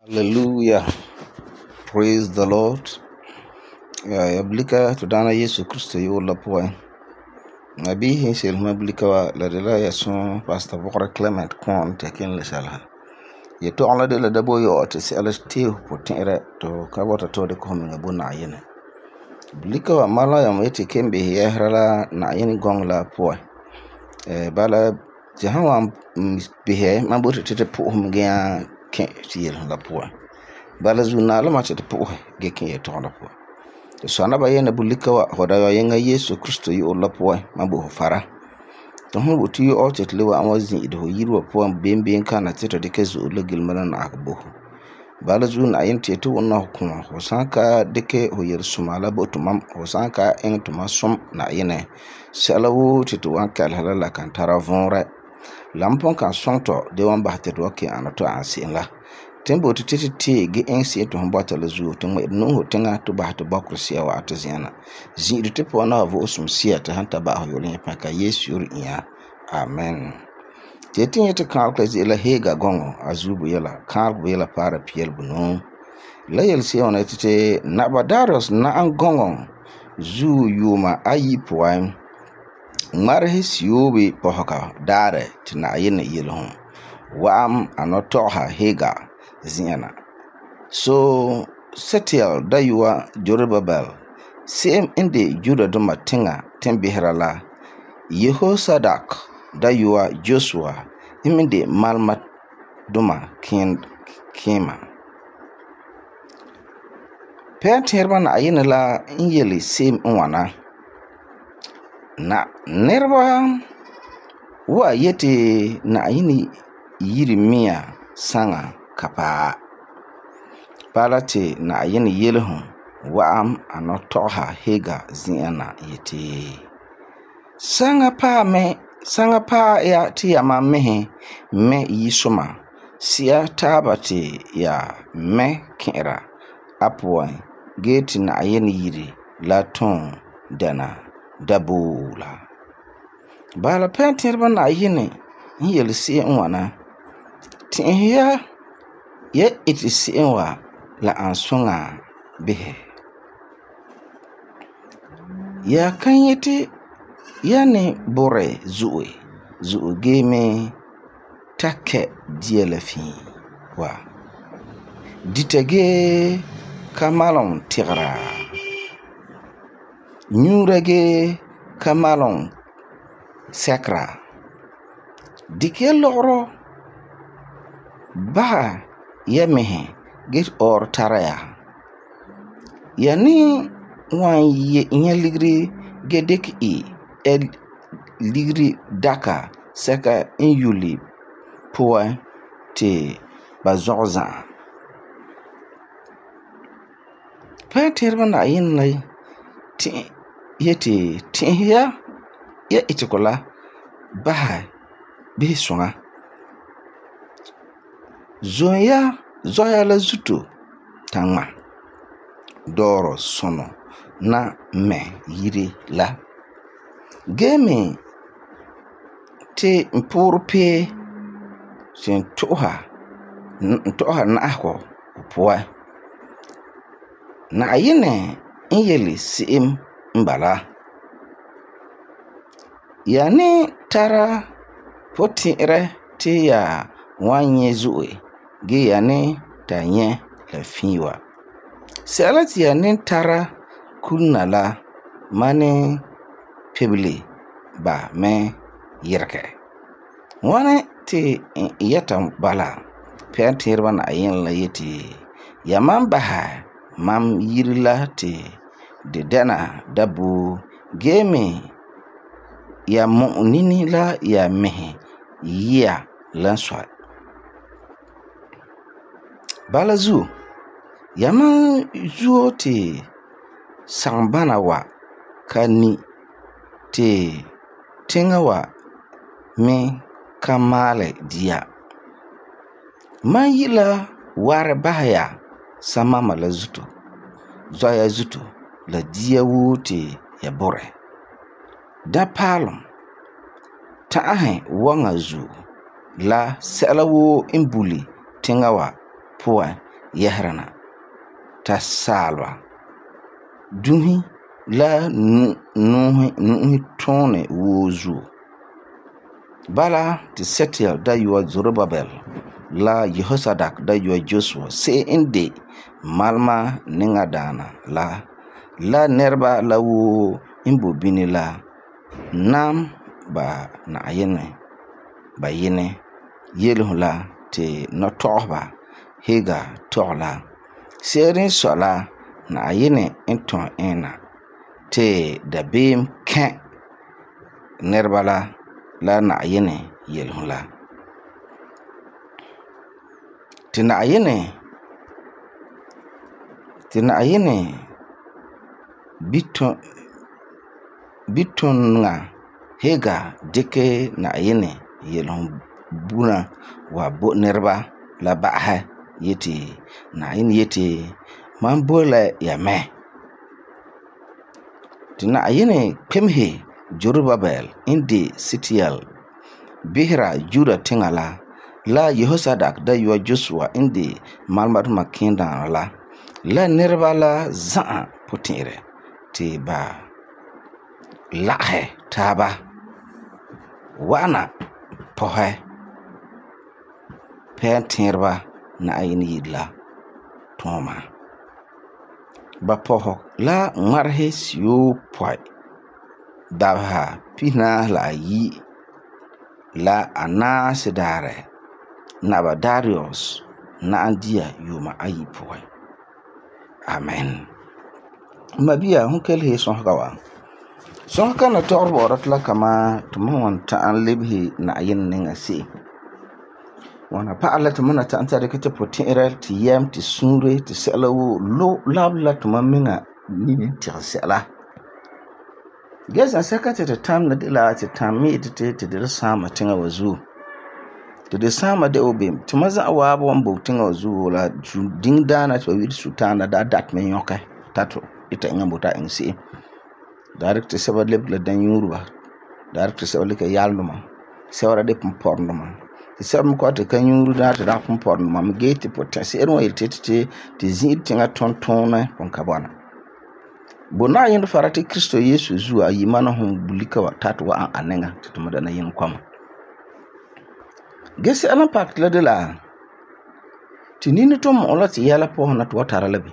Hallelujah. Praise the Lord. Ya blika to Dana Yesu Kristo yu'urɛ la puan. Nabihi sel ma blika wa la de la ya son Pastor Bokra Clement Kwon te kin le sala. Ya to la de la dabo yo te se ala te po tenre to ka wata to de ko mi ngabo na yene. Blika wa mala ya mete kembe ya hrala na yene gong la puan. Bala jahan bihe ma bote te po hum ga ken tiel la puan. Bala zuna la ma te po ge ken ya to la puan. So na ba yene bulika wa hoda ya yenga Yesu Kristo yu'urɛ la puan ma bo fara. To hu bo ti o te lewa an wazin ido yirwa puan bemben kana te to de ke zo la gilmana na akbo. Bala zuna yin te to wonna hukuma ho sanka de ke ho yer sumala bo to mam ho sanka en to masum na yene. Sala wo te to wan kal halala kan tara vonre. Lampon kan sonto de wan ba te do ke an to ansin la. Tembo to te ge ensi to hombata la zuo to ngwe no hotenga to ba to bakrusia wa atziana zi te po na vo osum sia te hanta ba ho yolen pa ka Yesu yur iya. Amen. Te tinye te kan ka zi la hega gongo azubu yela kan bu yela para piel bunu la yel se ona te nabadaros na an gongo zu yuma ayi poan marhe siobe pohaka dare te na yene yelhon waam anotoha hega ziana. So Setiel dayuwa Jorobabel sem inde Juda duma tinga tembihra la Yehosadak dayuwa Joshua iminde malmat duma kema. Peterba na ayina la inyeli sem nwana na nerba wa yete na ayini yiri miya sanga kapa palate na ayene yelhun waam anotoha hega ziana yete sanga pa ya ti ya ma mehe me yisuma sia tabate ya me kera apwan gate na ayene yiri la ton dana dabula bala penterba na ayene yel se nwana tin ya iti si'inwa la ansonga bihe ya kan yete ya ne bore zu'e game take dielafi wa ditage kamalon tigra nyurage kamalon sekra dike logro ba ya mehe get or taraya yani wan ye ligri gedek ligri daka seka in yuli poa te bazorza peterba na yin lai ti yete ti ya itikola ba bi songa zoya la zuto tangma doro sono na me yiri la game te mpurpe sen toha na ako poa na ayene inyeli sim mbala yani tara potire te ya wanye zuwe ge yani tanye la fiwa salati yani tara kunala mane pebli ba me yirke wane te yata bala pentirba na ayin la yeti yaman baha mam yirla te de dana dabu game ya mu'nini la ya mehe ya lanswa bala zu yaman zuo te sangbana wa kani te tinga wa me kamale dia man yila ware bahaya sama mala zuto zoya zuto la dia wote ya bore da palom ta'ahe wanga zu la sala wo imbuli tinga wa puan yɛsera ta saalba dunhi la nuhi tuune woo zuo. Bala ti Setiel dayɔa Zorobabel la Yehosadak dayɔa Joshua se'em n de malema niŋa daana la nɛreba la woo n bo bini la nam ba Na'ayinɛ ba yenɛ yelehom la ti nɔtɔgɔheba Hagar tɔgɛ la. Se'ere n sɔi la Na'ayinɛ n tɔn eŋna ti dabeem kɛ nɛreba la Na'ayinɛ yelehom la. Ti Na'ayinɛ bitunŋa Hagar dikɛ Na'ayinɛ yelehom buna wa bo nɛreba la ba'ahɛ yeti Na'ayinɛ yeti mam bo la ya mɛ. Ti Na'ayinɛ kpemehe Zorobabel n de Setiel behera Juda tiŋa la Yehosadak dayɔa Joshua n de malema duma kẽedaana la nɛreba la za'a potɛn'ɛrɛ ti ba lagahɛ taaba wa'ana pɔhɛ pɛɛntɛɛreba Na'ayinɛ yire la tuuma. Ba pɔhɛ la ŋmarehe siyopɔi dabeha pihinaahe la ayi la anaasi daarɛ Naba Darius na'am dia yuuma ayi puan. Amen. Mabia hon kelhe sõsga wa. Sõsga na tɔgɔre bɔ'ɔra ti la kama tumam wan ta'am lebehe Na'ayinɛ niŋa se'em. Wana pa'alɛ la tumam na ta'am ta dikɛ ti potɛn'ɛrɛ ti yɛm ti suure ti sɛla woo labela la tumam miŋa nini tɛgɛ sɛla. Gɛsɛn sɛka ti tam na de la ti tam mi yeti ti de saama tiŋa wa zuo. Ti de saama de obem. Tuma za'a waaba wan bo tiŋa wa zuo la diŋdaana ti ba wi'iri Sultana da dat me yɔkɛ tato ita eŋa bota eŋa se'em. Da dikɛ ti sɛba lebege la danyuureba. Da dikɛ ti sɛba leka yalendoma. Sɛba de pumpɔrendoma. Ti sɛba me kɔ'ɔti ka nyuuri daa ti da pumpɔrendoma me gee ti potɛn'ɛrɛ wan yeti ti zi'ire tiŋa tontonɛ pun ka bɔna. Bo Na'ayinɛ fara ti Kristo Yesu zuo a yi mana hon bulika wa tati wa an aniŋa ti tuma dana yin kɔma. Gese alan pak la de la ti nini to mo la ti yɛla pɔhɛ na ti wa tara la bi.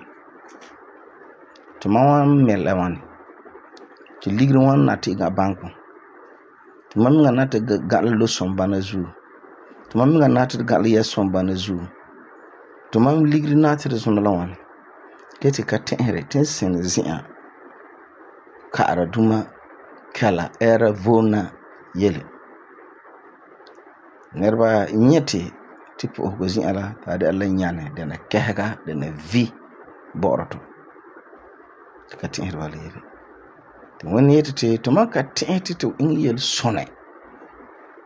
Tuma wan mɛ la wani. Ti ligiri wan na ti ga banko. Tuma miŋa na ti ga la losom bana zuo. Tuma miŋa na ti ga la yɛsom bana zuo. Tuma ligiri na ti zuna la wani. Ke ti ka tɛ'ɛhɛrɛ tin sin zi'an ka'ara duma kala ɛra vona yele. Nɛreba nyɛti ti pu'uhego zi'an la ta de la nyane dana kɛhega dana vi bɔ'ɔra to. Ti ka tɛ'ɛhɛrɛ ba leere. Ti wani yeti ti tuma ka tɛ'ɛhɛ ti iŋa yele sɔnɛ.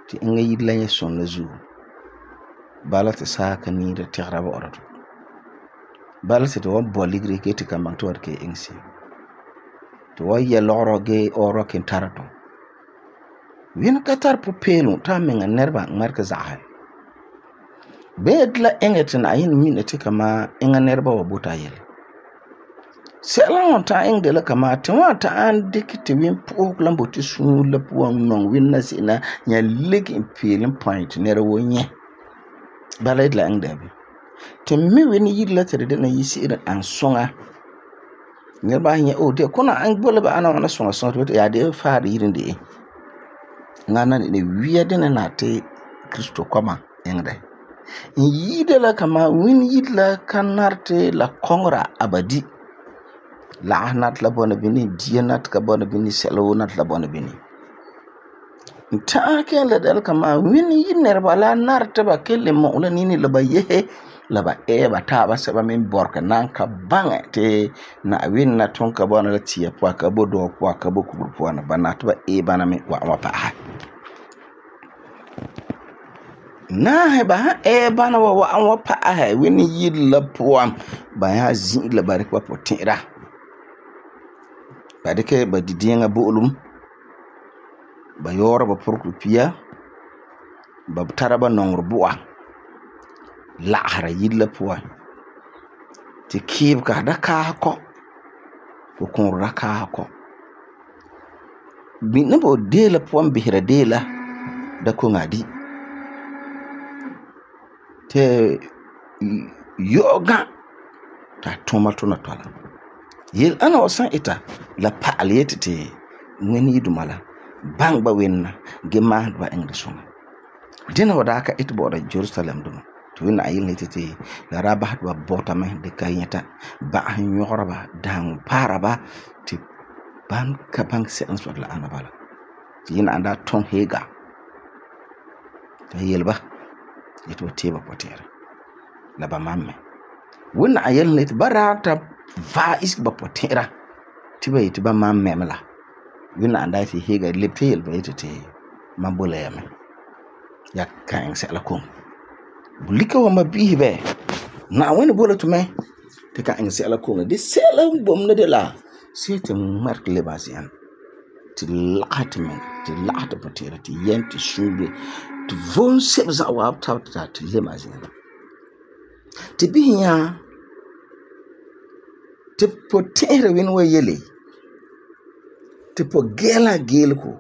Ti iŋa yiri la nyɛ sɔn la zuo. Bala ti saa ka niira tɛgera bɔ'ɔra to. Bala ti wan bɔ ligiri ke ti kan baŋ ti wa ke iŋa se'em. Ti wa yɛ lɔgɔrɔ gee ɔɔrɔ ken tara to. Wini ka tar pupeelum ta meŋa nɛreba ŋmarika zaɣahi. Bee de la eŋa ti Na'ayinɛ mina ti kama eŋa nɛreba wa bota yele. Sɛla wan ta eŋa de la kama ti wan ta an dikɛ ti win pu'uhego la boti suur la puan nɔŋ win na se'em na nya lege in peelin point nɛra wo nyɛ. Bala de la eŋa dabi. Ti mi wini yiri la ti de na yi se'ere an suŋa. Nɛreba nyɛ o de kuna an bola ba ana wana suŋa ti ya de faar yirin de. Ngana ne wiya dene na ti Kristo koma engde. In yide la kama win yid la kanarte la kongra abadi. La nat la bona bini dia nat ka bona bini selo nat la bona bini. Ta ken la dal kama win yid nerba la narte ba kelle mo la nini la ba yehe la ba ba ta ba se ba min borka nan ka bange te na win na ton ka bona la tia po ka bo do po ka bo kubur po na ba nat ba bana me wa pa ha. Na he ba bana wa pa ha win yid la po ba ya zin la ba rekwa po tira. Ba deke ba didienga bolum ba yora ba porku pia ba taraba nongro bu'a la hara yid la po Ti kiibega da kaasa kɔ. Ko kũurɔ da kaasa kɔ. Neba deela puan bisera deela da koŋa di. Ti yo'oga ta tuma tuna tɔla. Yel ana wa san ita la pa'al yeti ti ŋmene yiduma la baŋɛ ba wenna ge maahɛ ba iŋɛ suŋa. Dina wa daa ka ite bɔ'ɔra Jerusalem duma. Ti wina ayilna yeti ti la daa basɛ ba bɔta mɛ de ka nyɛta ba'ahe nyɔgera ba daaŋɔ paara ba ti ban ka baŋɛ sɛla n sɔi la ana bala. Ti yina an daa tɔn Heega. Ta yele ba yeti ba tee ba potɛɛra la ba mam mɛ. Wina ayilna yeti ba daa ta vaɛ isege ba potɛɛra ti ba yeti ba mam mɛ la. Wina an daa yeti Heega lebte yele ba yeti ti mam bo la ya mɛ. Ya kan iŋɛ sɛla kom. Bulika wa ma biihi bɛ. Na wani bola to mɛ ti ka iŋɛ sɛla kom. De sɛla n bom ne de la see ti ŋmarege le ba zi'an. Ti laɣa ti mɛ, ti laɣa ti potɛɛra, ti yɛm, ti suube, ti vom sebo za'a waabi tabi ti le ma zi'an. Ti bihi nya ti potɛɛra wini wa yele ti po gɛɛla geelego.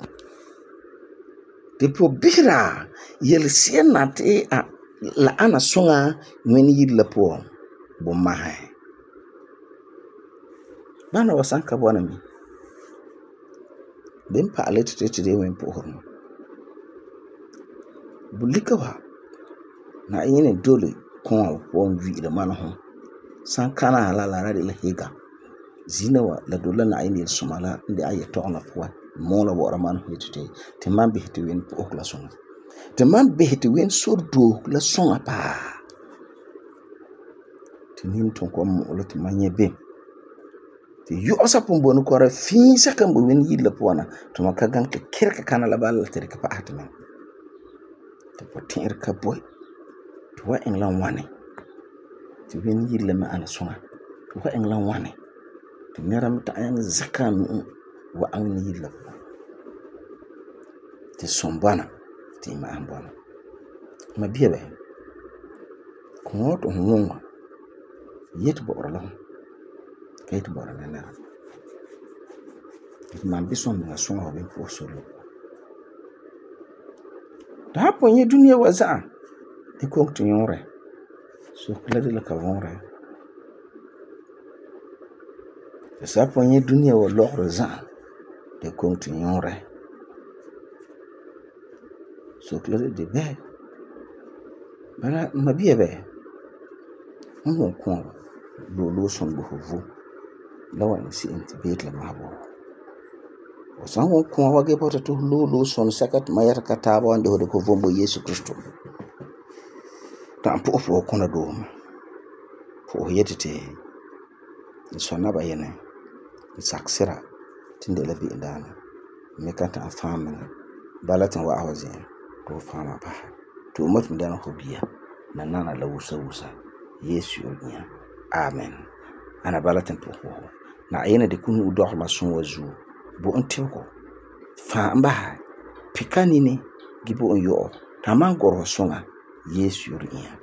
Ti po bisera yelese'ere na ti la ana suŋa ŋmene yire la puan bo mahe. Bana wa san ka bɔna mi. Den pa'ale ti de wen pu'uhum. Bulika wa na yene dole kɔn puan wi'ira mana ho. San kana la de la Heega. Zina wa la dole na yene yel suma la inde aye tɔgna puan. Mo la wora man ho ti man bihi ti wen pu'uh la suŋa. Ti man bihi ti wen surdo la suŋa paa. Ti nin ton ko mo la ti man nye bem. Ti yo'osa pun bonu kɔra fiisa kan bo wen yilla puana to man ka gan ka kirka kana la bala ti ka pa ahti man. Ti potɛɛra ka boy. Ti wa iŋla wane. Ti wen yilla ma ana suŋa. Ti wa iŋla wane. Ti nera mta ayan zakan wa an yilla. Ti sombana ti ma an bana. Ma biya bɛ. Ko to honwa. Yet bɔ'ɔra la. Kayt bɔ'ɔra la nera. Ti man bison na suŋa wa ben po solo. Ta ponye dunia wa za'a. Ti kong ti yore. So kla de la ka vonre. Ti sa ponye dunia wa lɔgre za'a. Ti kong ti yore. So kla de bɛ. Bala ma biya bɛ. Mon kon lo son bo vo. La wa ni si inti bet la ma bo. O san won kon wa ge bota to lo son sakat ma yata ka taaba wande ho de ko vombo Yesu Kristo. Ta po kona do. Po yetete. Sonna ba yene. Saksira tinde la bi ndana. Me kanta afama. Balatan wa awazi. To fama ba. To mat ndana ho biya. Na nana la wusa. Yesu yonya. Amen. Ana balatan po ho. Na ayena de kunu udor la son wazu. Bo ontiko. Fa mba. Pikani ni gibo onyo. Taman goro songa. Yesu yonya.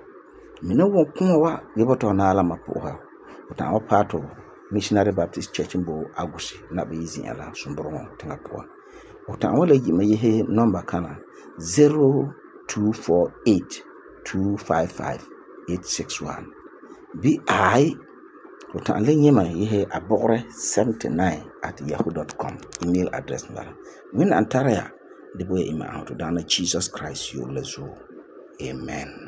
Mina won kuma wa giboto na ala mapoha. Uta wa pato Missionary Baptist Church mbo agusi na be yizi ala sumboro tinga poa. Uta wala yi mayehe number kana 0248255861. BI uta lenye ma yehe abore 79@yahoo.com email address ngala. Win antara ya de boye ima auto dana Jesus Christ yo lezo. Amen.